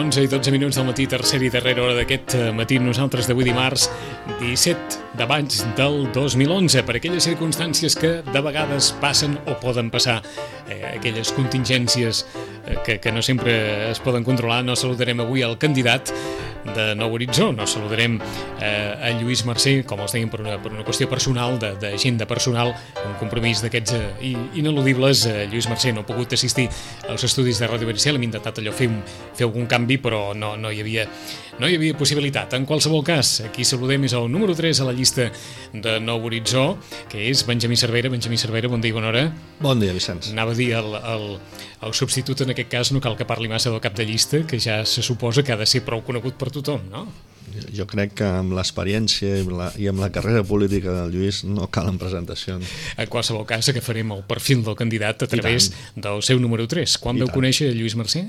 11 i 12 minuts del matí, tercera i darrera hora d'aquest matí, nosaltres d'avui dimarts 17 de maig del 2011, per aquelles circumstàncies que de vegades passen o poden passar, aquelles contingències que no sempre es poden controlar. No saludarem avui el candidat de Nou Horitzó, no saludarem a Lluís Mercè, com els dèiem, per una qüestió personal, d'agenda personal, un compromís d'aquests ineludibles. Lluís Mercè no ha pogut assistir als estudis de Ràdio Vericel, hem intentat allò fer algun canvi, però no hi havia possibilitat. En qualsevol cas, aquí saludem és el número 3 a la llista de Nou Horitzó, que és Benjamí Cervera. Benjamí Cervera, bon dia i bona hora. Bon dia, Vicenç. Anava a dir el substitut, en aquest cas no cal que parli massa del cap de llista, que ja se suposa que ha de ser prou conegut per tothom, no? Jo crec que amb l'experiència i amb la carrera política del Lluís no calen presentacions. En qualsevol cas, agafarem el perfil del candidat a través del seu número 3. Quan veu conèixer Lluís Mercè?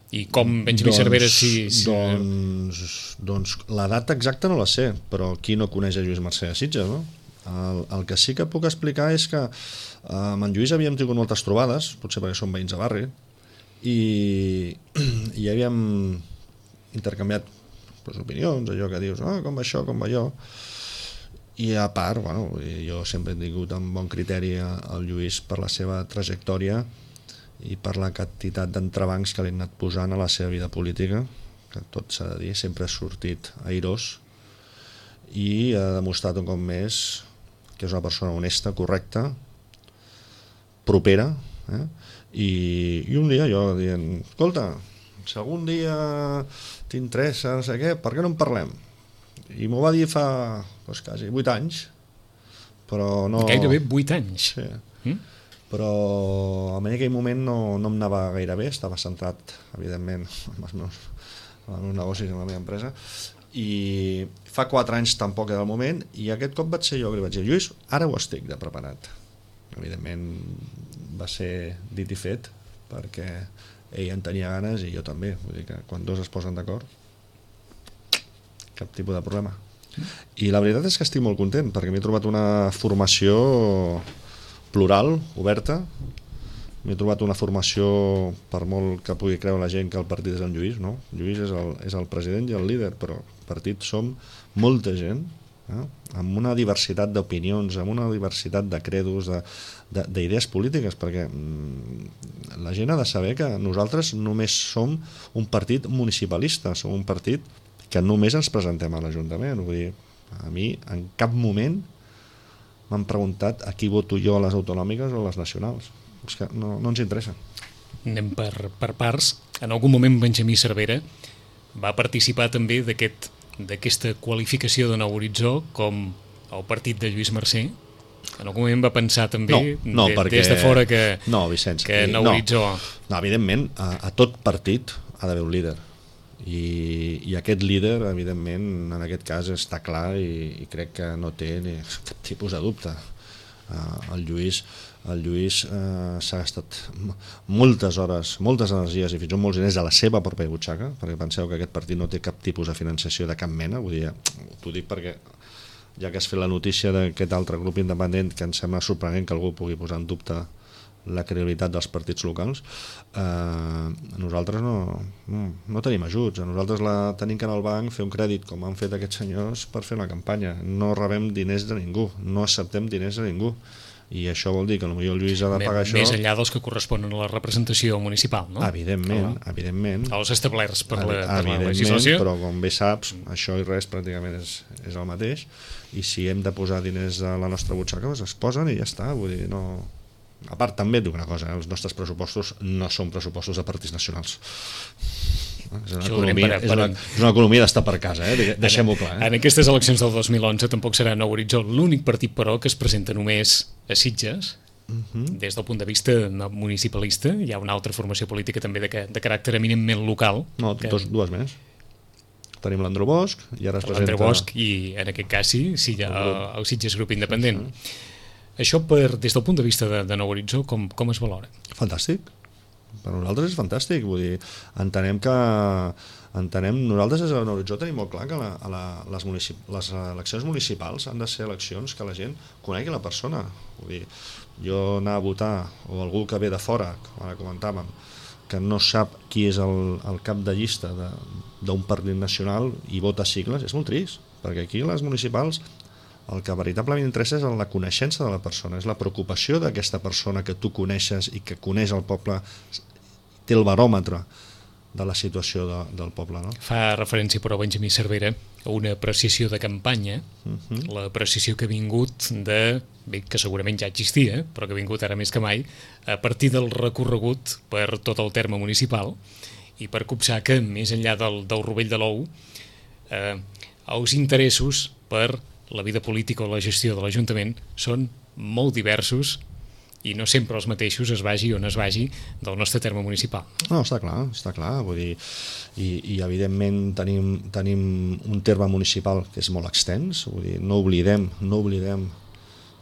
I com Benjamí Cervera Doncs la data exacta no la sé, però qui no coneix a Lluís Mercè a Sitges, no? El que sí que puc explicar és que amb en Lluís havíem tingut moltes trobades, potser perquè som veïns de barri, i havíem intercanviat opinions, allò que dius, com va això, com va allò, i a part, jo sempre he tingut amb bon criteri el Lluís per la seva trajectòria i per la quantitat d'entrebancs que li han anat posant a la seva vida política, que tot s'ha de dir, sempre ha sortit airós i ha demostrat un cop més que és una persona honesta, correcta, propera, i un dia jo dient, escolta, si algun dia t'interessa, no sé què, per què no en parlem? I m'ho va dir fa quasi 8 anys, però no... Gairebé 8 anys? Sí. Però en aquell moment no em anava gaire bé, estava centrat, evidentment, en els meus negocis, en la meva empresa, i fa 4 anys tampoc era el moment, i aquest cop vaig ser jo que li vaig dir, Lluís, ara ho estic de preparat. Evidentment va ser dit i fet, perquè ell en tenia ganes i jo també, vull dir que quan dos es posen d'acord, cap tipus de problema. I la veritat és que estic molt content, perquè m'he trobat una formació plural, oberta. M'he trobat una formació, per molt que pugui creure la gent que el partit és en Lluís, no? Lluís és el president i el líder, però el partit som molta gent, amb una diversitat d'opinions, amb una diversitat de credos, d'idees polítiques, perquè la gent ha de saber que nosaltres només som un partit municipalista, som un partit que només ens presentem a l'Ajuntament. Vull dir, a mi en cap moment m'han preguntat a qui voto jo a les autonòmiques o a les nacionals. És que no ens interessa. Anem per parts. En algun moment Benjamí Cervera va participar també d'aquesta qualificació de Nou Horitzó com el partit de Lluís Mercè. En algun moment va pensar també des de fora que Vicenç, Nou Horitzó... No, evidentment, a tot partit ha d'haver un líder. I aquest líder, evidentment, en aquest cas està clar i crec que no té cap tipus de dubte. El Lluís s'ha gastat moltes hores, moltes energies i fins i tot molts diners de la seva pròpia butxaca, perquè penseu que aquest partit no té cap tipus de financiació de cap mena. Vull dir, t'ho dic perquè ja que has fet la notícia d'aquest altre grup independent, que em sembla sorprenent que algú pugui posar en dubte la credibilitat dels partits locals, nosaltres no tenim ajuts, nosaltres tenim que anar al banc, fer un crèdit com han fet aquests senyors per fer una campanya, no rebem diners de ningú, no acceptem diners de ningú, i això vol dir que potser el Lluís ha de pagar això... Més enllà dels que corresponen a la representació municipal, no? Evidentment. Els establerts per la legislació. Però com bé saps, això i res pràcticament és el mateix, i si hem de posar diners a la nostra butxaca, doncs es posen i ja està, vull dir, no... A part, també et dic una cosa, els nostres pressupostos no són pressupostos de partits nacionals. És una economia d'estar per casa, deixem-ho clar. En aquestes eleccions del 2011 tampoc serà Nou Horitzó l'únic partit, però, que es presenta només a Sitges. Des del punt de vista municipalista hi ha una altra formació política també de caràcter eminentment local. No, dues més. Tenim l'Andreu Bosch i ara es presenta... L'Andreu Bosch i, en aquest cas, sí, el Sitges Grup Independent. Això, des del punt de vista de Nou Horitzó, com es valora? Fantàstic. Per nosaltres és fantàstic. Vull dir, entenem, nosaltres des de Nou Horitzó tenim molt clar que les eleccions municipals han de ser eleccions que la gent conegui la persona. Vull dir, jo anar a votar, o algú que ve de fora, com ara comentàvem, que no sap qui és el cap de llista d'un partit nacional i vota sigles, és molt trist, perquè aquí les municipals el que veritablement interessa és la coneixença de la persona, és la preocupació d'aquesta persona que tu coneixes i que coneix el poble, té el baròmetre de la situació del poble. No? Fa referència, però, Benjamí Cervera, a una apreciació de campanya, l'apreciació que ha vingut que segurament ja existia, però que ha vingut ara més que mai, a partir del recorregut per tot el terme municipal i per copsar que, més enllà del rovell de l'ou, els interessos per la vida política o la gestió de l'Ajuntament són molt diversos i no sempre els mateixos, es vagi on es vagi, del nostre terme municipal. No, està clar, vull dir, i evidentment tenim un terme municipal que és molt extens, vull dir, no oblidem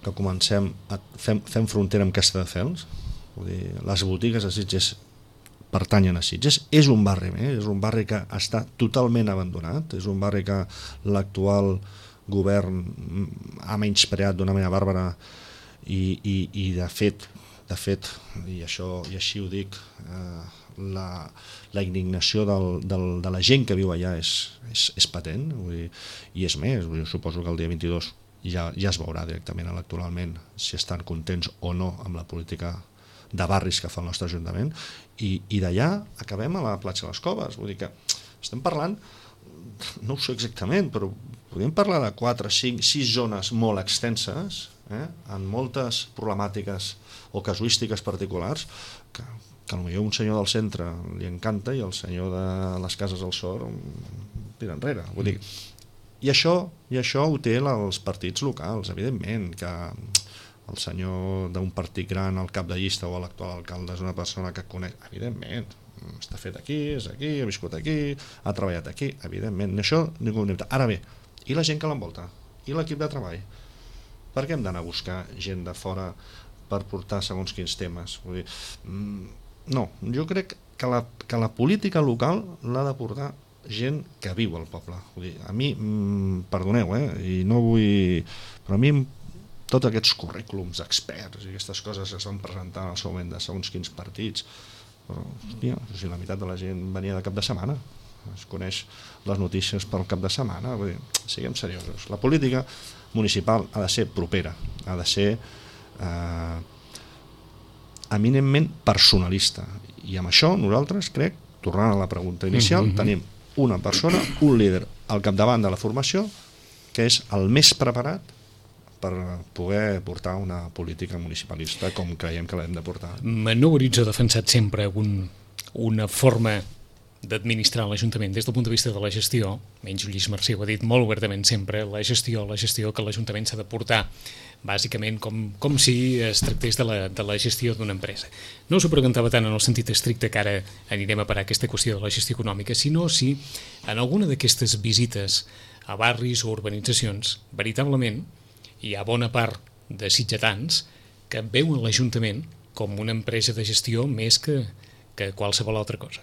que fem frontera amb Castelldefels, vull dir, les botigues de Sitges pertanyen a Sitges, és un barri més, és un barri que està totalment abandonat, és un barri que l'actual govern ha menyspreat d'una manera bàrbara i de fet, i així ho dic, la indignació de la gent que viu allà és patent, vull dir, i és més, vull dir, suposo que el dia 22 ja es veurà directament electoralment si estan contents o no amb la política de barris que fa el nostre Ajuntament, i d'allà acabem a la platja de les Coves, vull dir que estem parlant, no ho sé exactament, però podríem parlar de 4, 5, 6 zones molt extenses, amb moltes problemàtiques o casuístiques particulars que potser un senyor del centre li encanta i el senyor de les cases al Sor tira enrere. Vull dir, i això ho té els partits locals, evidentment, que el senyor d'un partit gran, el cap de llista o l'actual alcalde és una persona que coneix, evidentment, està fet aquí, és aquí, ha viscut aquí, ha treballat aquí, evidentment, això ningú ho nota. Ara bé, i la gent que l'envolta? I l'equip de treball? Per què hem d'anar a buscar gent de fora per portar segons quins temes? Vull dir, no, jo crec que la política local l'ha de portar gent que viu al poble. Vull dir, a mi, perdoneu, i no vull... però a mi tots aquests currículums experts i aquestes coses que es van presentar en el seu moment de segons quins partits, però, hòstia, si la meitat de la gent venia de cap de setmana, es coneix les notícies pel cap de setmana, vull dir, siguem seriosos. La política municipal ha de ser propera, ha de ser eminentment personalista, i amb això nosaltres crec, tornant a la pregunta inicial, tenim una persona, un líder al capdavant de la formació que és el més preparat per poder portar una política municipalista com creiem que l'hem de portar. Manó Boritzo ha defensat sempre una forma d'administrar l'Ajuntament des del punt de vista de la gestió, menys Lluís Mercè ho ha dit molt obertament sempre, la gestió que l'Ajuntament s'ha de portar bàsicament com si es tractés de la gestió d'una empresa. No s'ho preguntava tant en el sentit estricte que ara anirem a parar aquesta qüestió de la gestió econòmica, sinó si en alguna d'aquestes visites a barris o urbanitzacions veritablement hi ha bona part de sitgetans que veuen l'Ajuntament com una empresa de gestió més que qualsevol altra cosa.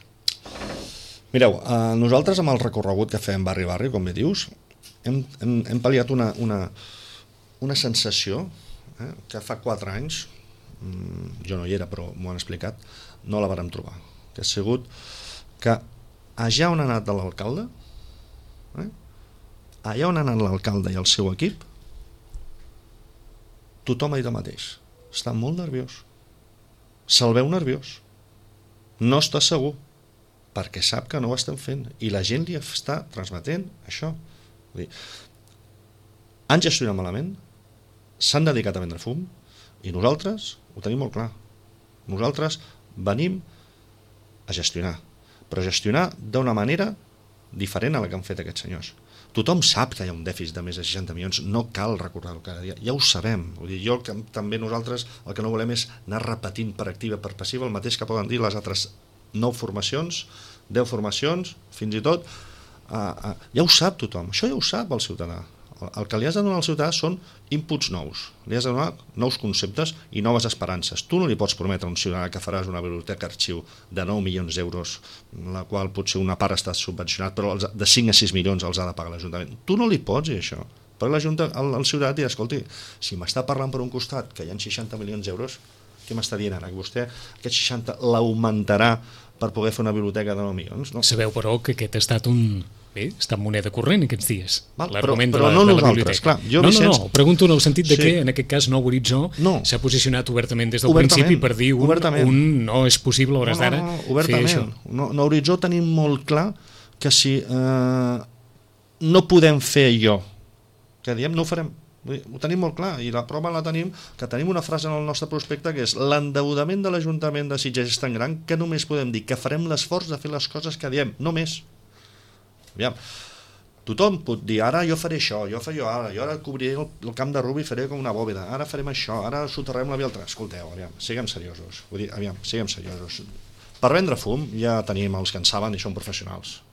Mireu, nosaltres amb el recorregut que fem barri a barri, com bé dius, hem pal·liat una sensació que fa 4 anys, jo no hi era però m'ho han explicat, no la vàrem trobar, que ha sigut que allà on ha anat l'alcalde, allà on ha anat l'alcalde i el seu equip, tothom ha dit el mateix, està molt nerviós, se'l veu nerviós, no està segur, perquè sap que no ho estem fent i la gent li està transmetent això. Vull dir, han gestionat malament, s'han dedicat a vendre fum i nosaltres ho tenim molt clar. Nosaltres venim a gestionar, però gestionar d'una manera diferent a la que han fet aquests senyors. Tothom sap que hi ha un dèficit de més de 60 milions, no cal recordar-ho cada dia, ja ho sabem. Vull dir, també nosaltres el que no volem és anar repetint per activa, per passiva, el mateix que poden dir les altres 9 formacions, 10 formacions, fins i tot, ja ho sap tothom, això ja ho sap el ciutadà. El que li has de donar al ciutadà són inputs nous, li has de donar nous conceptes i noves esperances. Tu no li pots prometre a un ciutadà que faràs una biblioteca arxiu de 9 milions d'euros, la qual potser una part està subvencionat, però de 5 a 6 milions els ha de pagar l'Ajuntament. Tu no li pots dir això, perquè el ciutadà dirà, escolti, si m'està parlant per un costat que hi ha 60 milions d'euros, Què m'està dient ara? Que vostè aquest 60 l'augmentarà per poder fer una biblioteca de 9 milions? No. Sabeu, però, que aquest ha estat està en moneda corrent aquests dies. L'argument però de no la nosaltres, biblioteca. clar. No, pregunto en el sentit de que en aquest cas Nou Horitzó s'ha posicionat obertament des del principi per dir no és possible a hores d'ara fer això. Nou Horitzó tenim molt clar que si no podem fer allò que diem, no ho farem. Ho tenim molt clar, i la prova la tenim, que tenim una frase en el nostre prospecte que és: l'endeudament de l'Ajuntament de Sitges és tan gran que només podem dir que farem l'esforç de fer les coses que diem, no més. Aviam, tothom pot dir, ara jo faré això, jo ara cobriré el camp de Rubi i faré com una bòveda, ara farem això, ara soterrem la via al tren. Escolteu, aviam, siguem seriosos. Siguem seriosos. Per vendre fum ja tenim els que en saben i són professionals,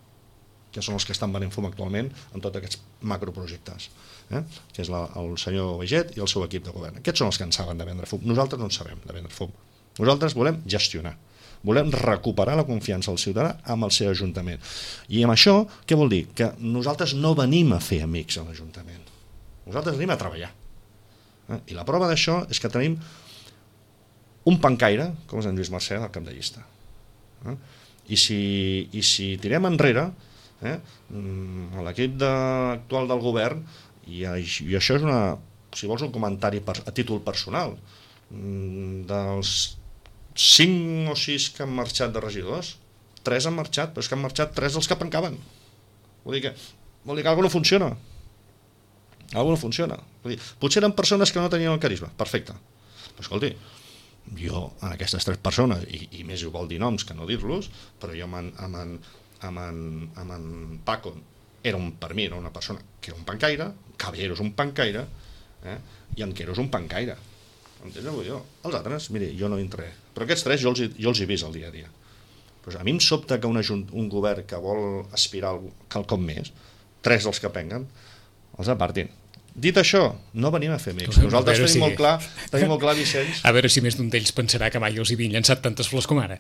que són els que estan venent fum actualment en tots aquests macroprojectes, que és el senyor Baiget i el seu equip de govern. Aquests són els que en saben de vendre fum. Nosaltres no en sabem de vendre fum. Nosaltres volem gestionar. Volem recuperar la confiança del ciutadà amb el seu Ajuntament. I amb això, què vol dir? Que nosaltres no venim a fer amics a l'Ajuntament. Nosaltres venim a treballar. I la prova d'això és que tenim un pancaire, com és en Lluís Mercè, al cap de llista. I si tirem enrere, l'equip actual del govern, i això és si vols un comentari a títol personal, dels 5 o 6 que han marxat de regidors, 3 han marxat, però és que han marxat 3 dels que pencaven. Vol dir que alguna cosa no funciona. Alguna no funciona. Vull dir, potser eren persones que no tenien el carisma, perfecte. Però escolti, jo en aquestes 3 persones, i més ho vol dir noms que no dir-los, però jo amb en Paco per mi era una persona que era un pancaire, Caballero és un pancaire, i en Quero és un pancaire. Entens? Els altres, miri, jo no hi entraré. Però aquests 3 jo els he vist el dia a dia. Pues a mi em sobta que un govern que vol aspirar a quelcom més, 3 dels que penguen, els apartin. Dit això, no venim a fer amics. Nosaltres tenim molt clar, Vicenç. A veure si més d'un d'ells pensarà que mai els hi havien llançat tantes flors com ara.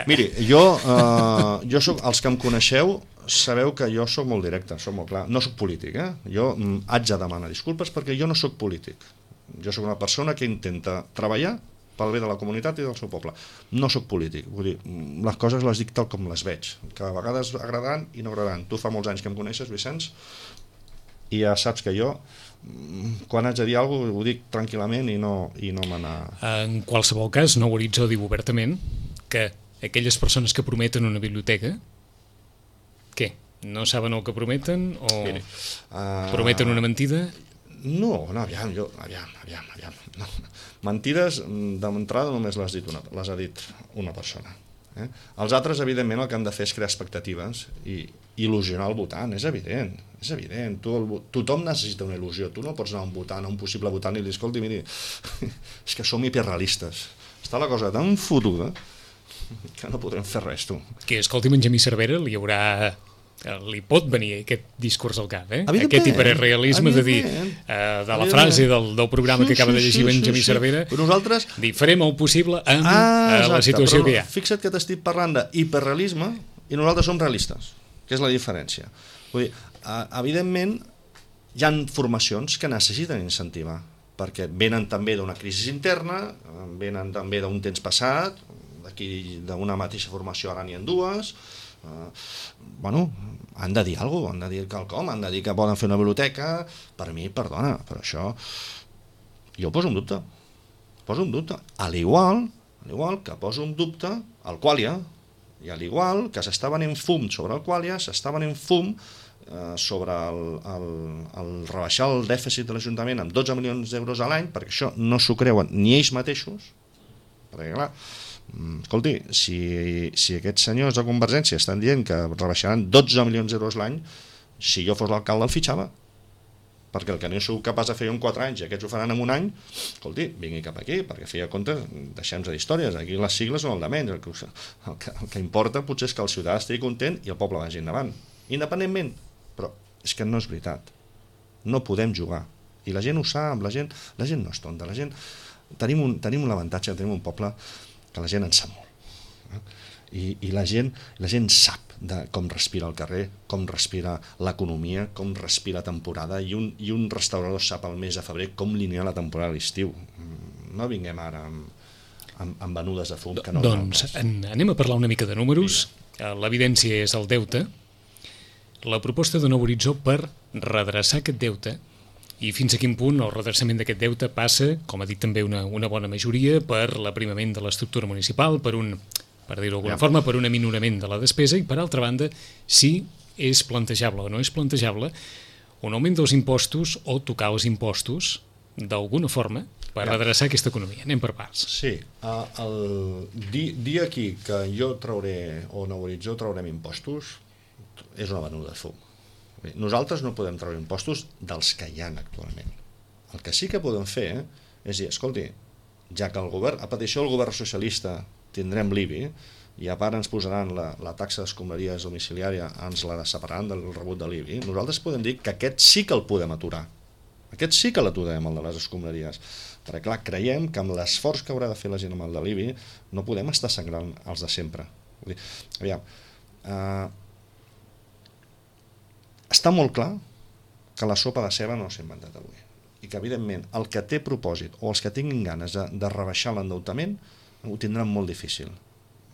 Miri, jo soc, els que em coneixeu, sabeu que jo soc molt directe, soc molt clar. No soc polític, Jo haig de demanar disculpes perquè jo no soc polític. Jo sóc una persona que intenta treballar pel bé de la comunitat i del seu poble. No sóc polític, vull dir, les coses les dic tal com les veig, que a vegades agradaran i no agradaran. Tu fa molts anys que em coneixes, Vicenç, i ja saps que jo, quan haig de dir alguna cosa, ho dic tranquil·lament i no me n'ha... En qualsevol cas, Nou Horitzó diu obertament que aquelles persones que prometen una biblioteca, què? No saben el que prometen o prometen una mentida? No, aviam. No. Mentides, d'entrada només les ha dit una persona. Els altres, evidentment, el que han de fer és crear expectatives i il·lusionar el votant, és evident. Tothom necessita una il·lusió. Tu no pots anar a un votant, a un possible votant i dir, escolti, miri, és que som hiperrealistes. Està la cosa tan fotuda que no podrem fer res, tu. Que, escolti, en Jamí Cervera li pot venir aquest discurs al cap, aquest hiperrealisme de dir de la frase del programa que acaba de llegir en Jamí Cervera, dir, farem el possible amb la situació que hi ha. Fixa't que t'estic parlant d'hiperrealisme i nosaltres som realistes, que és la diferència. Vull dir, evidentment hi ha formacions que necessiten incentivar, perquè venen també d'una crisi interna, venen també d'un temps passat, d'aquí d'una mateixa formació ara n'hi ha 2, han de dir alguna cosa, han de dir quelcom, han de dir que poden fer una biblioteca. Per mi, perdona, però això jo ho poso en dubte, a l'igual que poso en dubte el Qualia, i a l'igual que s'està venent fum sobre el Qualia, s'està venent fum sobre el rebaixar el dèficit de l'Ajuntament amb 12 milions d'euros a l'any, perquè això no s'ho creuen ni ells mateixos, perquè clar, escolti, si aquests senyors de Convergència estan dient que rebaixaran 12 milions d'euros l'any, si jo fos l'alcalde el fitxava, perquè el que no sou capaç de fer en 4 anys i aquests ho faran en un any, escolti, vingui cap aquí, perquè feia compte, deixem-nos d'històries, aquí les sigles són el de menys, el que importa potser és que el ciutadà estigui content i el poble vagi endavant, independentment, però és que no és veritat, no podem jugar, i la gent ho sap, la gent no és tonta, la gent, tenim l'avantatge, tenim un poble que la gent en sap molt, i la gent sap de com respira el carrer, com respira l'economia, com respira la temporada, i un restaurador sap al mes de febrer com li anirà la temporada a l'estiu. No vinguem ara amb venudes de fum que no... Doncs anem a parlar una mica de números. L'evidència és el deute. La proposta de Nou Horitzó per redreçar aquest deute i fins a quin punt el redreçament d'aquest deute passa, com ha dit també una bona majoria, per l'aprimament de l'estructura municipal, per dir-ho d'alguna forma, per un aminorament de la despesa i, per altra banda, si és plantejable o no és plantejable un augment dels impostos o tocar els impostos d'alguna forma per redreçar aquesta economia. Anem per parts. Sí, dir aquí que jo trauré o Nou Horitzó traurem impostos és una venuda de fum. Nosaltres no podem treure impostos dels que hi ha actualment. El que sí que podem fer és dir, escolti, ja que el govern, a petició del govern socialista tindrem l'IBI i a part ens posaran la taxa d'escombraries domiciliària, ens la separaran del rebut de l'IBI, nosaltres podem dir que aquest sí que el podem aturar. Aquest sí que l'aturem, el de les escombraries. Perquè, clar, creiem que amb l'esforç que haurà de fer la gent amb el de l'IBI no podem estar sangrant els de sempre. Vull dir, aviam, està molt clar que la sopa de ceba no s'ha inventat avui i que, evidentment, el que té propòsit o els que tinguin ganes de rebaixar l'endeutament ho tindran molt difícil.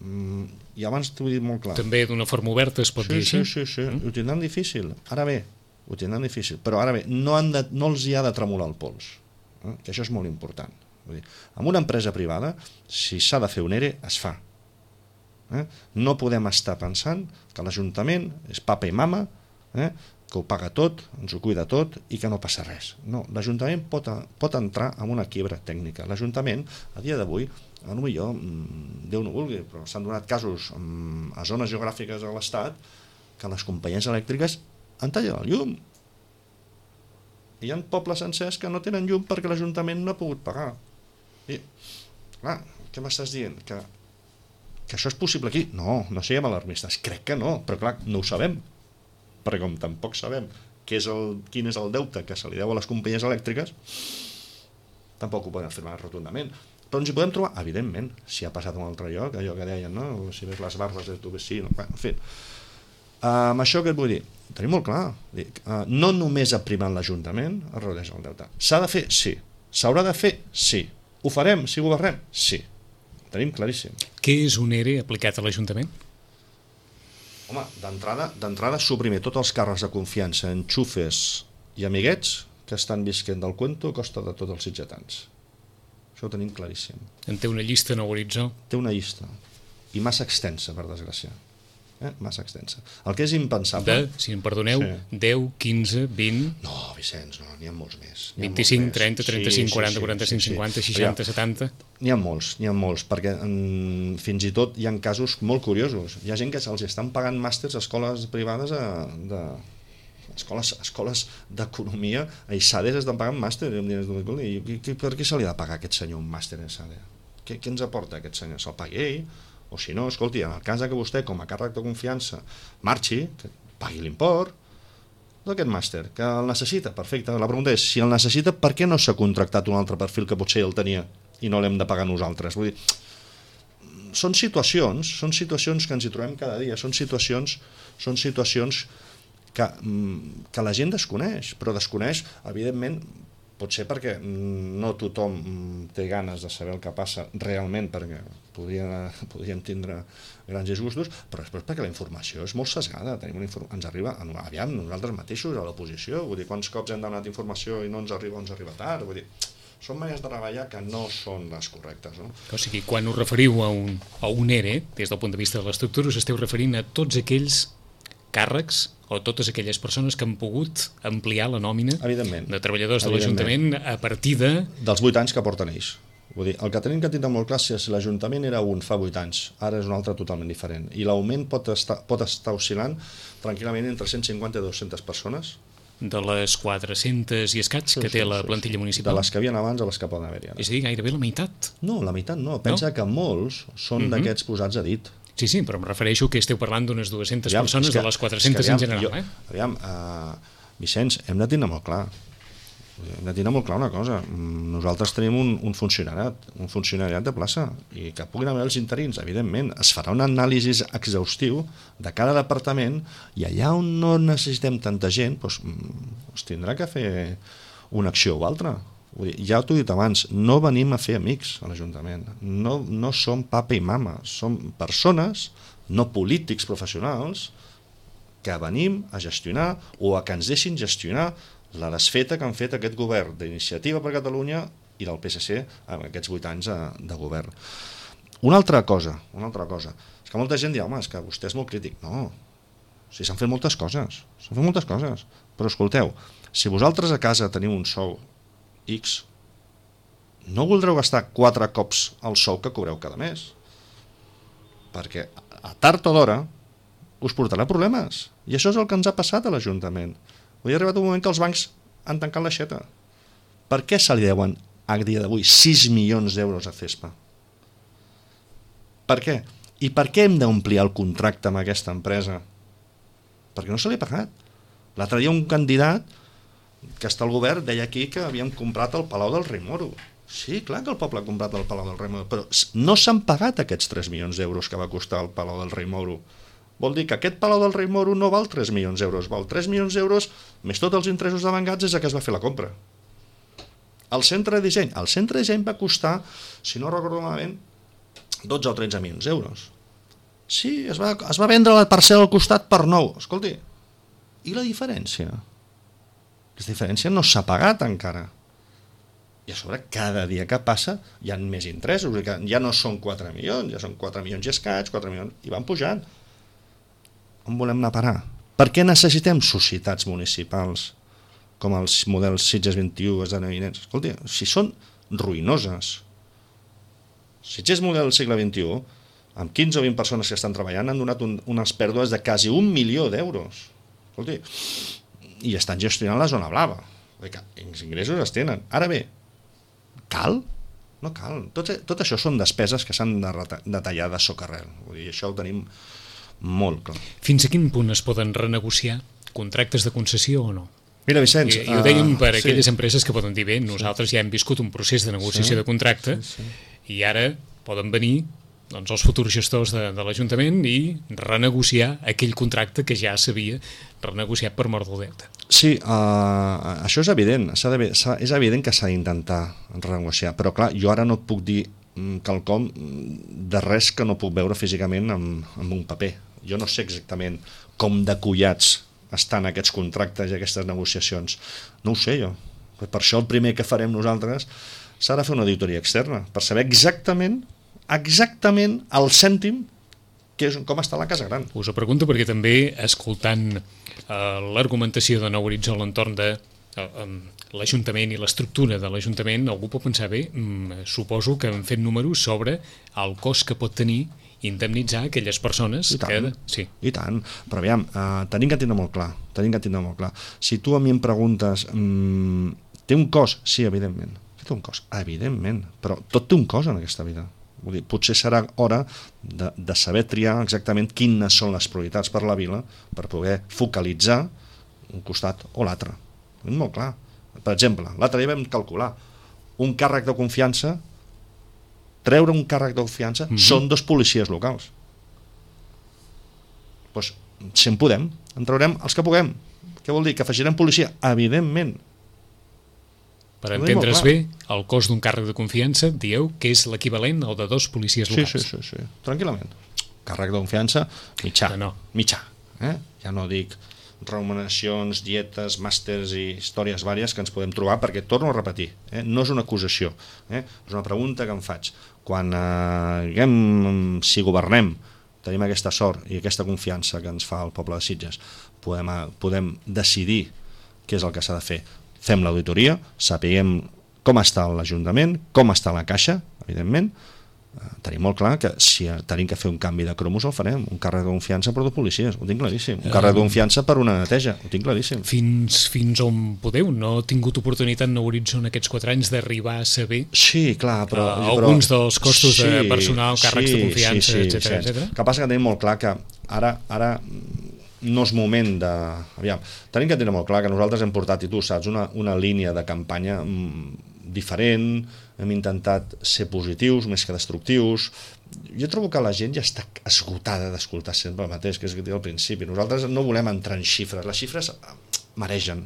I abans t'ho he dit molt clar. També d'una forma oberta es pot dir així? Sí, ho tindran difícil. Ara bé, ho tindran difícil, però ara bé, no els hi ha de tremolar el pols, que això és molt important. Vull dir, amb una empresa privada, si s'ha de fer un ERE, es fa. No podem estar pensant que l'Ajuntament és papa i mama, que ho paga tot, ens ho cuida tot i que no passa res. No, l'Ajuntament pot entrar en una quiebra tècnica. L'Ajuntament, a dia d'avui, potser, Déu no vulgui, però s'han donat casos a zones geogràfiques de l'Estat que les companyies elèctriques han tallat el llum. I hi ha pobles sencers que no tenen llum perquè l'Ajuntament no ha pogut pagar. I, clar, què m'estàs dient? Que això és possible aquí? No siguem alarmistes. Crec que no, però clar, no ho sabem. Perquè com tampoc sabem quin és el deute que se li deu a les companyies elèctriques, tampoc ho podem afirmar rotundament. Però ens hi podem trobar, evidentment, si ha passat a un altre lloc, allò que deien, no? Si ves les barbes de tu vecino, en fi. Amb això què et vull dir? Tenim molt clar. No només aprimant l'Ajuntament es redueix el deute. S'ha de fer? Sí. S'haurà de fer? Sí. Ho farem si governem? Sí. Ho tenim claríssim. Què és un ERE aplicat a l'Ajuntament? Home, d'entrada suprimir tots els càrrecs de confiança, enxufes i amiguets que estan visquent del cuento a costa de tots els sitgetans. Això ho tenim claríssim. En té una llista Nou Horitzó? Té una llista, i massa extensa, per desgràcia. Massa extensa. El que és impensable... Si em perdoneu, sí. 10, 15, 20... No, Vicenç, no, n'hi ha molts més. 25, 30, 35, 40, 45, 50, 60, 70... N'hi ha molts, perquè fins i tot hi ha casos molt curiosos. Hi ha gent que se'ls estan pagant màsters a escoles privades escoles d'economia a ISADE estan pagant màster i per què se li ha de pagar a aquest senyor un màster a ISADE? Què ens aporta aquest senyor? Se'l pagui ell? O si no, escolti, en el cas que vostè com a càrrec de confiança marxi, que pagui l'import d'aquest màster, que el necessita, perfecte. La pregunta és, si el necessita, per què no s'ha contractat un altre perfil que potser el tenia i no l'hem de pagar nosaltres? Vull dir, són situacions que ens hi trobem cada dia, són situacions que la gent desconeix, però desconeix, evidentment, potser perquè no tothom té ganes de saber el que passa realment, perquè podríem tindre grans disgustos, però després perquè la informació és molt sesgada. Ens arriba, aviam, nosaltres mateixos a l'oposició, vull dir, quants cops hem demanat informació i no ens arriba tard, vull dir, són maneres de treballar que no són les correctes. No? O sigui, quan us referiu a un ERE, des del punt de vista de l'estructura, us esteu referint a tots aquells càrrecs o totes aquelles persones que han pogut ampliar la nòmina de treballadors de l'Ajuntament a partir dels 8 anys que porten ells. Vull dir, el que tenim que tindre molt clar és si l'Ajuntament era un fa 8 anys, ara és un altre totalment diferent. I l'augment pot estar oscil·lant tranquil·lament entre 150 i 200 persones. De les 400 i escaig que té la plantilla municipal? De les que havien abans a les que poden haver-hi ara. És a dir, gairebé la meitat? No, la meitat no. Pensa que molts són d'aquests posats a dit. Sí, però em refereixo que esteu parlant d'unes 200 persones de les 400 en general. Aviam, Vicenç, hem de tindre molt clar. Hem de tindre molt clar una cosa. Nosaltres tenim un funcionariat de plaça i que puguin haver els interins, evidentment. Es farà un anàlisi exhaustiu de cada departament i allà on no necessitem tanta gent, doncs tindrà que fer una acció o altra. Vull dir, ja t'ho he dit abans, no venim a fer amics a l'Ajuntament, no som papa i mama, som persones, no polítics professionals, que venim a gestionar o a que ens deixin gestionar la desfeta que han fet aquest govern d'Iniciativa per Catalunya i del PSC en aquests 8 anys de govern. Una altra cosa, és que molta gent diu, home, és que vostè és molt crític. No, si s'han fet moltes coses, però escolteu, si vosaltres a casa teniu un sou X, no voldreu gastar 4 cops el sou que cobreu cada mes, perquè a tard o d'hora us portarà problemes, i això és el que ens ha passat a l'Ajuntament. Avui ha arribat un moment que els bancs han tancat l'aixeta. Per què se li deuen a dia d'avui 6 milions d'euros a CESPA? Per què? I per què hem d'omplir el contracte amb aquesta empresa? Perquè no se li ha pagat. L'altre dia un candidat que està al govern deia aquí que havíem comprat el Palau del Rei Moro. Sí, clar que el poble ha comprat el Palau del Rei Moro, però no s'han pagat aquests 3 milions d'euros que va costar el Palau del Rei Moro. Vol dir que aquest Palau del Rei Moro no val 3 milions d'euros, val 3 milions d'euros més tots els interessos devengats des que es va fer la compra. El centre de disseny va costar, si no recordo malament, 12 o 13 milions d'euros. Sí, es va vendre la parcel·la al costat per 9. Escolti, i la diferència? La diferència no s'ha pagat encara. I a sobre, cada dia que passa, hi ha més interessos. Ja no són 4 milions, ja són 4 milions i escaig, 4 milions, i van pujant. On volem anar a parar? Per què necessitem societats municipals com els models Sitges 21 esdeveniments? Escolti, si són ruïnoses. Sitges model segle XXI, amb 15 o 20 persones que estan treballant, han donat unes pèrdues de quasi 1 milió d'euros. Escolti, i estan gestionant la zona blava. Els ingressos es tenen. Ara bé, cal? No cal. Tot això són despeses que s'han de tallar de socarrel. Vull dir, això ho tenim molt clar. Fins a quin punt es poden renegociar contractes de concessió o no? Mira, Vicenç... I ho dèiem per aquelles empreses que poden dir, bé, nosaltres ja hem viscut un procés de negociació de contracte i ara poden venir els futurs gestors de l'Ajuntament i renegociar aquell contracte que ja s'havia renegociat per mort del deute. Sí, això és evident, és evident que s'ha d'intentar renegociar, però clar, jo ara no et puc dir quelcom de res que no puc veure físicament amb un paper. Jo no sé exactament com de collats estan aquests contractes i aquestes negociacions. No ho sé jo. Per això el primer que farem nosaltres s'ha de fer una auditoria externa per saber exactament al cèntim com està la Casa Gran. Us ho pregunto perquè també, escoltant l'argumentació de Nou Horitzó a l'entorn de l'Ajuntament i l'estructura de l'Ajuntament, algú pot pensar, bé, suposo que han fet números sobre el cost que pot tenir indemnitzar aquelles persones que... Sí. I tant, però aviam, tenim que tindre molt clar. Si tu a mi em preguntes, té un cost? Sí, evidentment. Té un cost, evidentment, però tot té un cost en aquesta vida. Vull dir, potser serà hora de saber triar exactament quines són les prioritats per la vila per poder focalitzar un costat o l'altre. Molt clar. Per exemple, l'altre dia vam calcular un càrrec de confiança, treure un càrrec de confiança són 2 policies locals. Doncs, si en podem, en traurem els que puguem. Què vol dir? Que afegirem policia? Evidentment. Per entendre's bé, el cost d'un càrrec de confiança, dieu que és l'equivalent al de 2 policies locals. Sí, tranquil·lament. Càrrec de confiança, mitjà. Mitjà. Ja no dic remuneracions, dietes, màsters i històries vàries que ens podem trobar, perquè torno a repetir, no és una acusació, és una pregunta que em faig. Quan si governem, tenim aquesta sort i aquesta confiança que ens fa el poble de Sitges, podem decidir què és el que s'ha de fer. Fem l'auditoria, sapiguem com està l'Ajuntament, com està la Caixa, evidentment. Tenim molt clar que si tenim que fer un canvi de cromos el farem, un càrrec de confiança per 2 policies, ho tinc claríssim, un càrrec de confiança per una neteja, ho tinc claríssim. Fins on podeu? No he tingut oportunitat en Horitzó en aquests 4 anys d'arribar a saber alguns dels costos de personal, càrrecs de confiança, etc. El que passa que tenim molt clar que ara no és moment de... Aviam, tenim que tenir molt clar que nosaltres hem portat, i tu saps, una línia de campanya diferent, hem intentat ser positius més que destructius. Jo trobo que la gent ja està esgotada d'escoltar sempre el mateix, que és el que dic al principi. Nosaltres no volem entrar en xifres, les xifres maregen.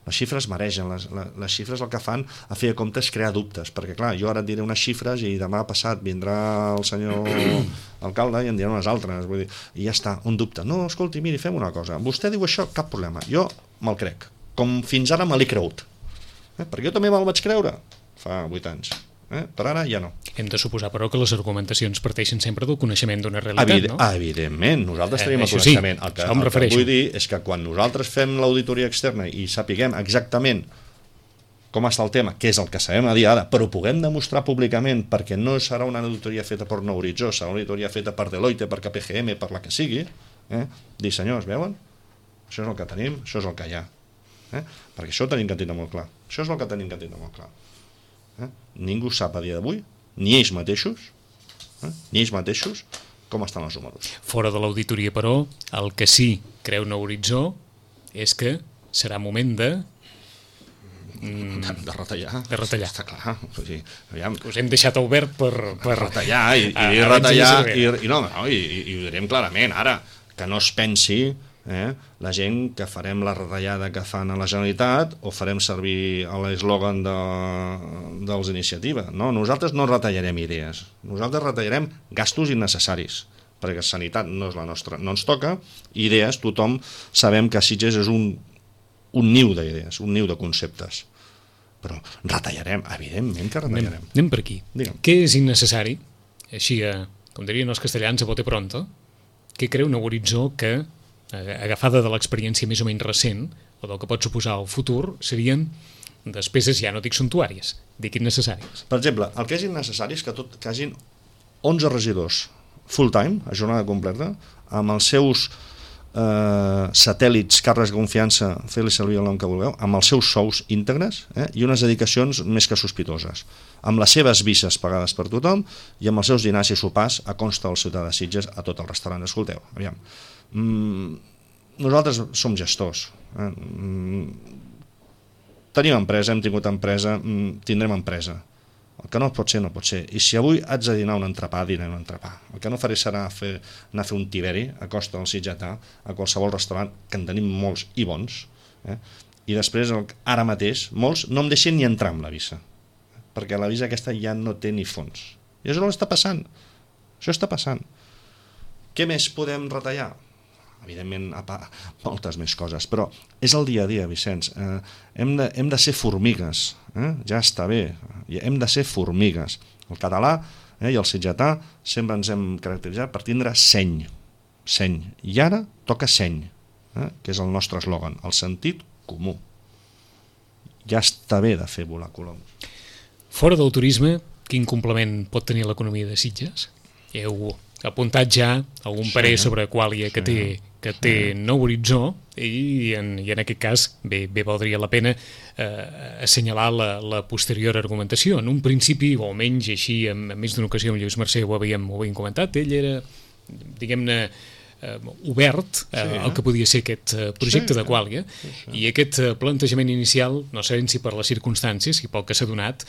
Les xifres maregen, les xifres el que fan a fer compte és crear dubtes, perquè clar, jo ara et diré unes xifres i demà passat vindrà el senyor alcalde i en dirà unes altres, vull dir, i ja està, un dubte. No, escolti, miri, fem una cosa, vostè diu això, cap problema, jo me'l crec, com fins ara me l'he cregut, perquè jo també me'l vaig creure fa 8 anys. Per ara ja no. Hem de suposar, però, que les argumentacions parteixen sempre del coneixement d'una realitat, no? Evidentment, nosaltres tenim el coneixement. Sí, el que vull dir és que quan nosaltres fem l'auditoria externa i sapiguem exactament com està el tema, que és el que sabem a dia d'ara, però ho puguem demostrar públicament, perquè no serà una auditoria feta per Nou Horitzó, serà una auditoria feta per Deloitte, per KPMG, per la que sigui, dir, senyors, veuen? Això és el que tenim, això és el que hi ha. Perquè això ho tenim que tindre molt clar. Això és el que tenim que tindre molt clar. Ningú sap a dia d'avui, ni ells mateixos, com estan els números. Fora de l'auditoria, però, el que sí creu Nou Horitzó és que serà moment de retallar. De retallar. Està clar. O sigui, aviam, us hem deixat obert per retallar i retallar i ho direm clarament ara, que no es pensi la gent que farem la retallada que fan a la Generalitat o farem servir l'eslògan dels Iniciativa. No, nosaltres no retallarem idees, nosaltres retallarem gastos innecessaris, perquè sanitat no és la nostra, no ens toca. Idees, tothom sabem que Sitges és un niu d'idees, un niu de conceptes, però retallarem, evidentment que retallarem. Anem per aquí. Digue'm. Què és innecessari, així com dirien els castellans a bote pronto, què creu Nou Horitzó que, agafada de l'experiència més o menys recent, o del que pot suposar el futur, serien despeses, ja no dic suntuàries, dic innecessàries? Per exemple, el que és innecessari és que hagin 11 regidors full-time, a jornada completa, amb els seus satèl·lits, càrrecs de confiança, fer-li servir el nom que vulgueu, amb els seus sous íntegres i unes dedicacions més que sospitoses, amb les seves vises pagades per tothom i amb els seus dinars i sopars a consta del ciutadà de Sitges a tot el restaurant. Escolteu, aviam, nosaltres som gestors, tenim empresa, hem tingut empresa, tindrem empresa. El que no pot ser, no pot ser. I si avui haig de dinar un entrepà, dinaré un entrepà. El que no faré serà anar a fer un tiberi a costa del sitgetà, a qualsevol restaurant, que en tenim molts i bons, i després, ara mateix, molts no em deixen ni entrar amb la visa, perquè la visa aquesta ja no té ni fons. I això no està passant. Això està passant. Què més podem retallar? Evidentment, moltes més coses, però és el dia a dia, Vicenç. Hem de ser formigues, ja està bé, hem de ser formigues. El català i el sitgetà sempre ens hem caracteritzat per tindre seny, i ara toca seny, que és el nostre eslògan, el sentit comú. Ja està bé de fer volar coloms. Fora del turisme, quin complement pot tenir l'economia de Sitges? Heu apuntat ja algun parer sobre Qualia que té Nou Horitzó i en aquest cas bé valdria la pena assenyalar la posterior argumentació. En un principi, o almenys així en més d'una ocasió amb Lluís Mercè ho havíem comentat, ell era, diguem-ne, obert al que podia ser aquest projecte de Qualia, i aquest plantejament inicial, no sabem si per les circumstàncies i pel que s'ha donat,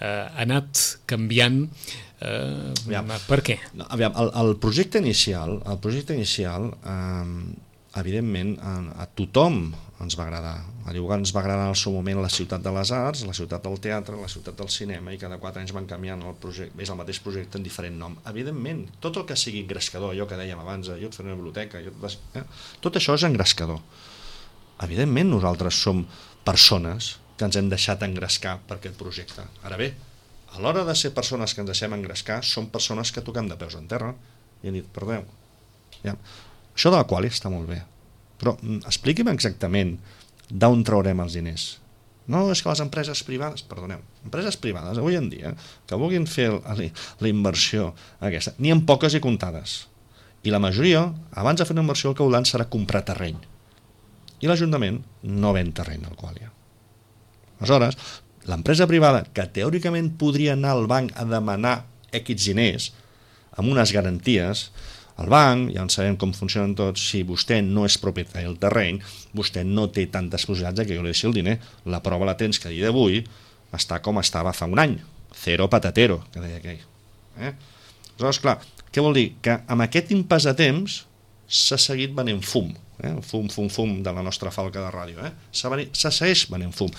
ha anat canviant. Per què? Aviam, el projecte inicial, evidentment, a tothom ens va agradar. Igual ens va agradar en el seu moment la ciutat de les arts, la ciutat del teatre, la ciutat del cinema, i cada 4 anys van canviant el projecte, és el mateix projecte en diferent nom. Evidentment, tot el que sigui engrescador, allò que dèiem abans, jo et faré una biblioteca, tot això és engrescador. Evidentment, nosaltres som persones que ens hem deixat engrescar per aquest projecte. Ara bé, a l'hora de ser persones que ens deixem engrescar, som persones que toquem de peus en terra i hem dit, perdeu, això de la Qualia està molt bé, però expliqui'm exactament d'on traurem els diners. No, és que les empreses privades, perdoneu, empreses privades avui en dia que vulguin fer la inversió aquesta, n'hi ha poques i comptades, i la majoria, abans de fer una inversió, el que volen serà comprar terreny, i l'Ajuntament no ven terreny al Qualia. Aleshores, l'empresa privada, que teòricament podria anar al banc a demanar X diners amb unes garanties, el banc, ja en sabem com funcionen tots, si vostè no és propietari del terreny, vostè no té tantes possibilitats que jo li deixi el diner. La prova la tens que a dia d'avui està com estava fa un any, cero patatero, que deia aquell. Aleshores, clar, què vol dir? Que amb aquest impàs de temps s'ha seguit venent fum. fum, fum, fum de la nostra falca de ràdio, se segueix venent fum.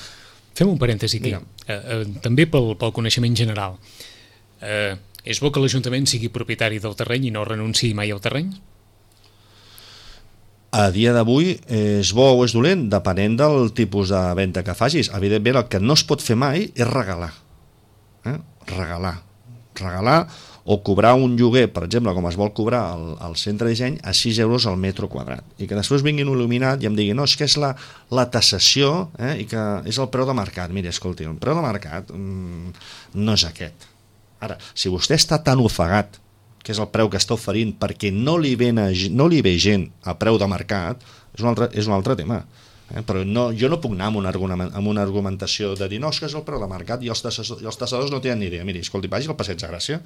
Fem un parèntesi aquí, també pel coneixement general. És bo que l'Ajuntament sigui propietari del terreny i no renunciï mai al terreny? A dia d'avui és bo o és dolent, depenent del tipus de venda que facis. Evidentment, el que no es pot fer mai és regalar. Regalar o cobrar un lloguer, per exemple, com es vol cobrar al centre de disseny, a 6 euros al metre quadrat. I que després vinguin il·luminat i em diguin no, és que és la taxació i que és el preu de mercat. Mira, escolti, el preu de mercat no és aquest. Ara, si vostè està tan ofegat que és el preu que està oferint perquè no li ve gent a preu de mercat, és un altre tema. Però jo no puc anar amb una argumentació de dir no, és que és el preu de mercat i els tassadors no tenen ni idea. Miri, escolti, vagi al Passeig de Gràcia,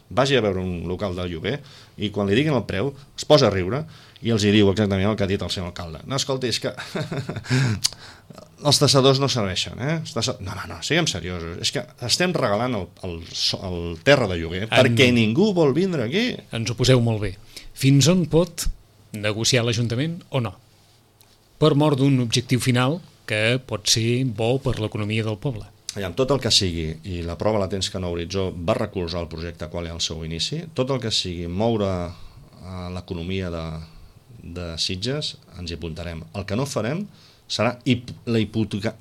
vagi a veure un local de lloguer i quan li diguin el preu es posa a riure i els hi diu exactament el que ha dit el senyor alcalde. No, escolti, és que els tassadors no serveixen. No, siguem seriosos. És que estem regalant el terra de lloguer perquè ningú vol vindre aquí. Ens ho poseu molt bé. Fins on pot negociar l'Ajuntament o no? Per mort d'un objectiu final que pot ser bo per l'economia del poble. Amb tot el que sigui, i la prova la tens que Nou Horitzó va recolzar el projecte Qualia al seu inici, tot el que sigui moure l'economia de Sitges, ens hi apuntarem. El que no farem serà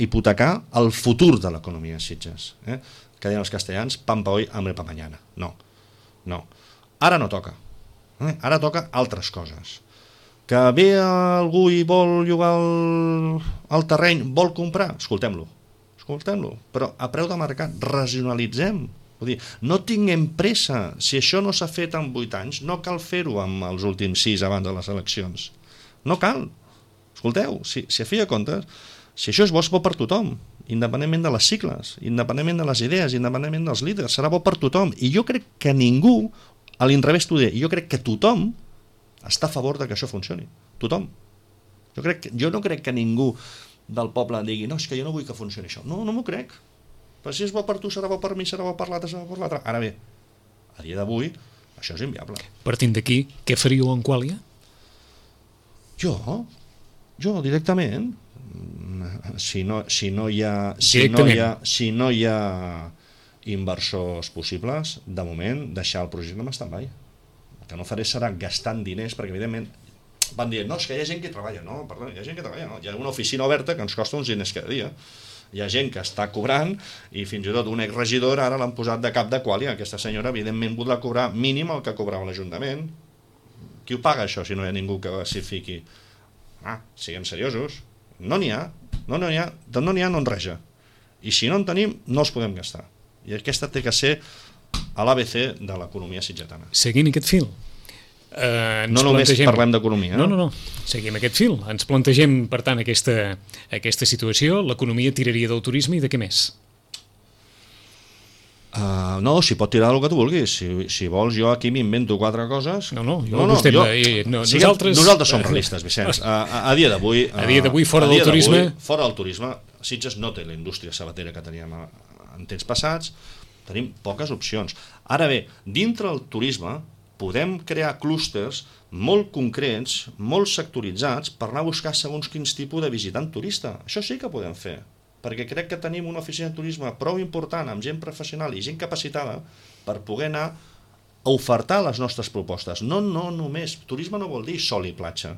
hipotecar el futur de l'economia de Sitges. Que diuen els castellans, pan pa hoy, hambre pa mañana. No. Ara no toca. Ara toca altres coses. Que ve algú i vol llogar el terreny, vol comprar, escoltem-lo, però a preu de mercat, racionalitzem. Vull dir, no tinguem pressa, si això no s'ha fet en 8 anys, no cal fer-ho amb els últims 6 abans de les eleccions. No cal. Escolteu, si a fi de comptes, si això és bo per tothom, independentment de les sigles, independentment de les idees, independentment dels líders, serà bo per tothom. I jo crec que ningú, a l'inrevés t'ho diré, jo crec que tothom està a favor de que això funcioni. Tothom. Jo no crec que ningú del poble digui no, és que jo no vull que funcioni això. No m'ho crec. Però si és bo per tu, serà bo per mi, serà bo per l'altre, serà bo per l'altre. Ara bé, a dia d'avui, això és inviable. Partint d'aquí, què faríeu en Qualia? Jo directament, si no hi ha inversors possibles, de moment deixar el projecte en stand-by. El que no faré serà gastant diners, perquè evidentment van dir, no, és que hi ha gent que treballa. No, perdó, hi ha gent que treballa, no. Hi ha una oficina oberta que ens costa uns diners cada dia. Hi ha gent que està cobrant i fins i tot un exregidor ara l'han posat de cap de Qualia. Aquesta senyora evidentment voldrà cobrar mínim el que cobrava l'Ajuntament. Qui ho paga això si no hi ha ningú que s'hi fiqui? Siguem seriosos. No n'hi ha, no enreja. I si no en tenim, no els podem gastar. I aquesta té que ser a l'ABC de l'economia sitgetana. Seguint aquest fil, no només parlem d'economia. No, seguim aquest fil. Ens plantegem, per tant, aquesta situació. L'economia tiraria del turisme i de què més? No, si pot tirar del que tu vulguis. Si vols, jo aquí m'invento 4 coses. Nosaltres som realistes, Vicenç. A dia d'avui, fora del turisme, Sitges no té la indústria sabatera que teníem en temps passats. Tenim poques opcions. Ara bé, dintre el turisme podem crear clústers molt concrets, molt sectoritzats, per anar a buscar segons quins tipus de visitant turista. Això sí que podem fer, perquè crec que tenim una oficina de turisme prou important, amb gent professional i gent capacitada, per poder anar a ofertar les nostres propostes. No només. Turisme no vol dir sol i platja.